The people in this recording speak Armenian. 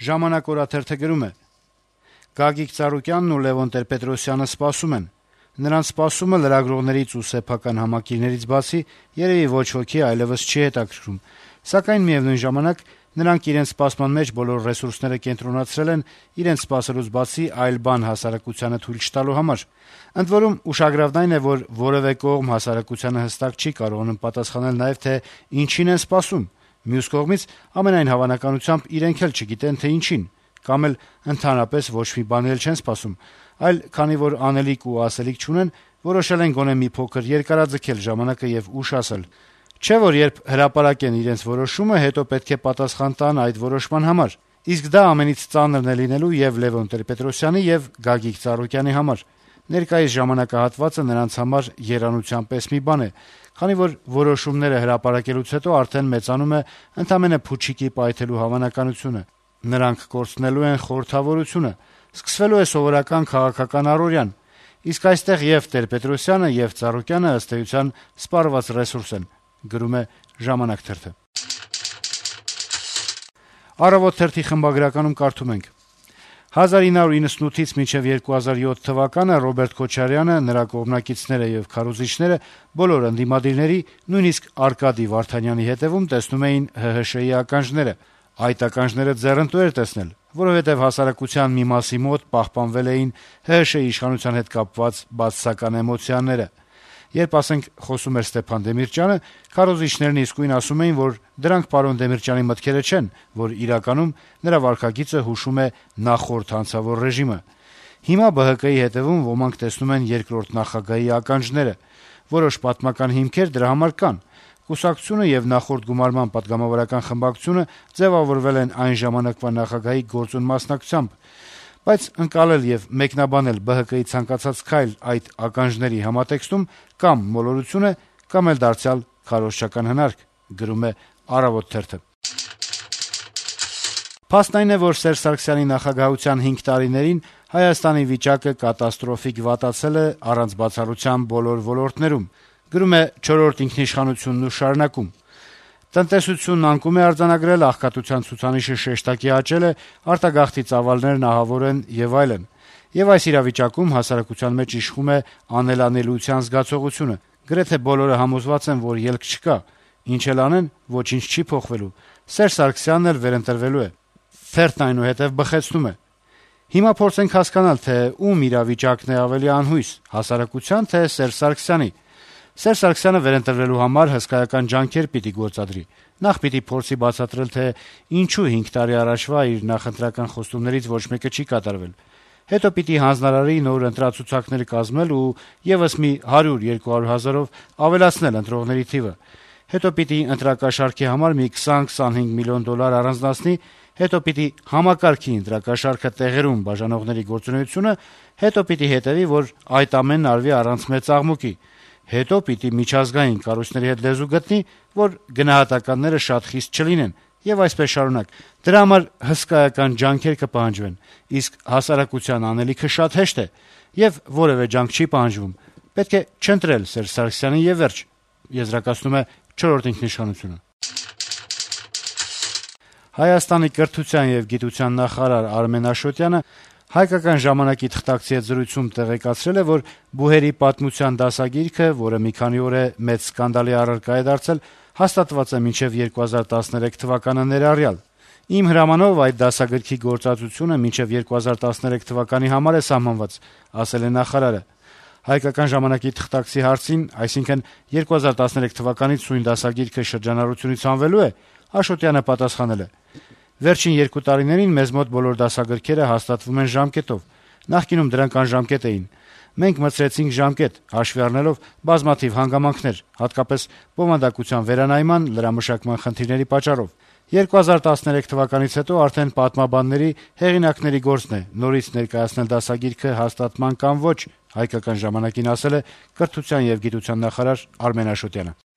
Ժամանակ օրաթերթը գրում է. - Գագիկ Ծառուկյանն ու Լեւոն Տեր-Պետրոսյանը սպասում են: Նրանց սպասումը լրագրողներից ու սեփական համակիրներից բացի երեւի ոչ ոքի այլեւս չի հետաքրքրում, սակայն միեւնույն ժամանակ նրանք իրենց սպասման մեջ բոլոր ռեսուրսները կենտրոնացրել են իրենց սպասելուց բացի այլ բան հասարակությանը թույլ չտալու համար: Ընդ որում, ուշագրավն այն է, որ որեւէ կողմ հասարակությանը հստակ չի կարողանում պատասխանել նաեւ, թե ինչին են սպասում: Մյուս կողմից, ամենայն հավանականությամբ իրենք էլ չգիտեն, թե ինչին, կամ էլ ընդհանրապես ոչ մի բանի էլ չեն սպասում, այլ քանի որ անելիք ու ասելիք չունեն, որոշել են գոնե մի փոքր երկարաձգել ժամանակը եւ ուշ ասել: Չէ՞ որ երբ հրապարակեն իրենց որոշումը, հետո պետք է պատասխան տան այդ որոշման համար: Իսկ դա ամենից ծանրն է լինելու եւ Լեւոն Տեր-Պետրոսյանի եւ Գագիկ Ծառուկյանի համար: Ներկայիս ժամանակահատվածը նրանց համար եռանության պես մի բան է, քանի որ որոշումները հրապարակելուց հետո արդեն մեծանում է ընդամենը փուչիկի պայթելու հավանականությունը: Նրանք կորցնելու են խորհրդավորությունը: Սկսվելու է սովորական քաղաքական առօրյան: Իսկ այստեղ եւ Տեր-Պետրոսյանը, եւ Ծառուկյանը, ըստ էության, սպառված ռեսուրս են: «Առավոտ» թերթի խմբագրականում կարդում ենք. - 1998-ից մինչեւ 2007 թվականը Ռոբերտ Քոչարյանը, նրա կողմնակիցները եւ քարոզիչները բոլոր ընդդիմադիրների, նույնիսկ Արկադի Վարդանյանի հետեւում տեսնում էին ՀՀՇ-ի ականջները: Այդ ականջները ձեռնտու էր տեսնել, որովհետեւ հասարակության մի մասի մոտ պահպանվել էին ՀՀՇ-ի իշխանության հետ կապված բացասական էմոցիաները: Երբ, ասենք, խոսում էր Ստեփան Դեմիրճյանը, քարոզիչներն իսկույն ասում էին, որ դրանք պարոն Դեմիրճյանի մտքերը չեն, որ իրականում նրա վարքագիծը հուշում է նախորդ հանցավոր ռեժիմը: Հիմա ԲՀԿ-ի հետեւում ոմանք տեսնում են երկրորդ նախագահի ականջները: Որոշ պատմական հիմքեր դրա համար կան: Կուսակցությունը եւ նախորդ գումարման պատգամավորական խմբակցությունը ձեւավորվել են այն ժամանակվա նախագահի գործուն մասնակցությամբ: Բայց ընկալել եւ մեկնաբանել ԲՀԿ-ի ցանկացած քայլ այդ ականջների համատեքստում կամ մոլորություն է, կամ էլ դարձյալ քարոզչական հնարք: Փաստն այն է, որ Սերժ Սարգսյանի նախագահության 5 տարիներին Հայաստանի վիճակը կատաստրոֆիկ վատացել է առանց բացառության բոլոր ոլորտներում: Գրում է «Չորրորդ ինքնիշխանությունն ու շարունակում» - տնտեսությունն անկում է արձանագրել, աղքատության ցուցանիշը շեշտակի աճել է, արտագաղթի ծավալներն ահավոր են եւ այլն: Եվ այս իրավիճակում հասարակության մեջ իշխում է անելանելիության զգացողությունը: Գրեթե բոլորը համոզված են, որ ելք չկա: Ինչ էլ անեն, ոչինչ չի փոխվելու: Սերժ Սարգսյանն էլ վերընտրվելու է: Թերթն այնուհետեւ բխեցնում է. - Հիմա փորձենք հասկանալ, թե ում իրավիճակն է ավելի անհույս՝ հասարակության, թե Սերժ Սարգսյանի: Սերժ Սարգսյանը վերընտրվելու համար հսկայական ջանքեր պիտի գործադրի: Նախ պիտի փորձի բացատրել, թե ինչու 5 տարի առաջվա իր նախընտրական խոստումներից ոչ մեկը չի կատարվել: Հետո պիտի հանձնարարի նոր ընտրացուցակներ կազմել ու եւս մի 100-200 հազարով ավելացնել ընտրողների թիվը: Հետո պիտի ընտրակաշառքի համար մի 20-25 միլիոն դոլար առանձնացնի: Հետո պիտի համակարգի ընտրակաշառքը տեղերում բաժանողների գործունեությունը: Հետո պիտի հետեւի, որ այդ ամենն արվի առանց մեծ աղմուկի: Հետո պիտի միջազգային կառույցների հետ լեզու գտնի, որ գնահատականները շատ խիստ չլինեն: Եվ այսպես շարունակ: Դրա համար հսկայական ջանքեր կպահանջվեն: Իսկ հասարակության անելիքը շատ հեշտ է, եւ որեւէ ջանք չի պահանջվում: Պետք է չընտրել Սերժ Սարգսյանին եւ վերջ: Հայաստանի կրթության եւ գիտության նախարար Արմեն Աշոտյանը «Հայկական ժամանակ»-ի թղթակցի հետ զրույցում տեղեկացրել է, որ բուհերի պատմության դասագիրքը, որը մի քանի օր է մեծ սկանդալի առարկա է դարձել, հաստատված է մինչեւ 2013 թվականը ներառյալ: «Իմ հրամանով այդ դասագրքի գործածությունը մինչեւ 2013 թվականի համար է սահմանված», - ասել է նախարարը: «Հայկական ժամանակ»-ի թղթակցի հարցին, այսինքն 2013 թվականից սույն դասագիրքը շրջանառությունից հանվելո՞ւ է, Աշոտյանը պատասխանել է. - «Վերջին 2 տարիներին մեզ մոտ բոլոր դասագրքերը հաստատվում են ժամկետով: Նախկինում դրանք անժամկետ էին: Մենք մտցրեցինք ժամկետ՝ հաշվի առնելով բազմաթիվ հանգամանքներ, հատկապես բովանդակության վերանայման, լրամշակման խնդիրների պատճառով: 2013 թվականից հետո արդեն պատմաբանների, հեղինակների գործն է նորից ներկայացնել դասագիրքը հաստատման կամ ոչ», - «Հայկական ժամանակ»-ին ասել է կրթության եւ գիտության նախարար Արմեն Աշոտյանը: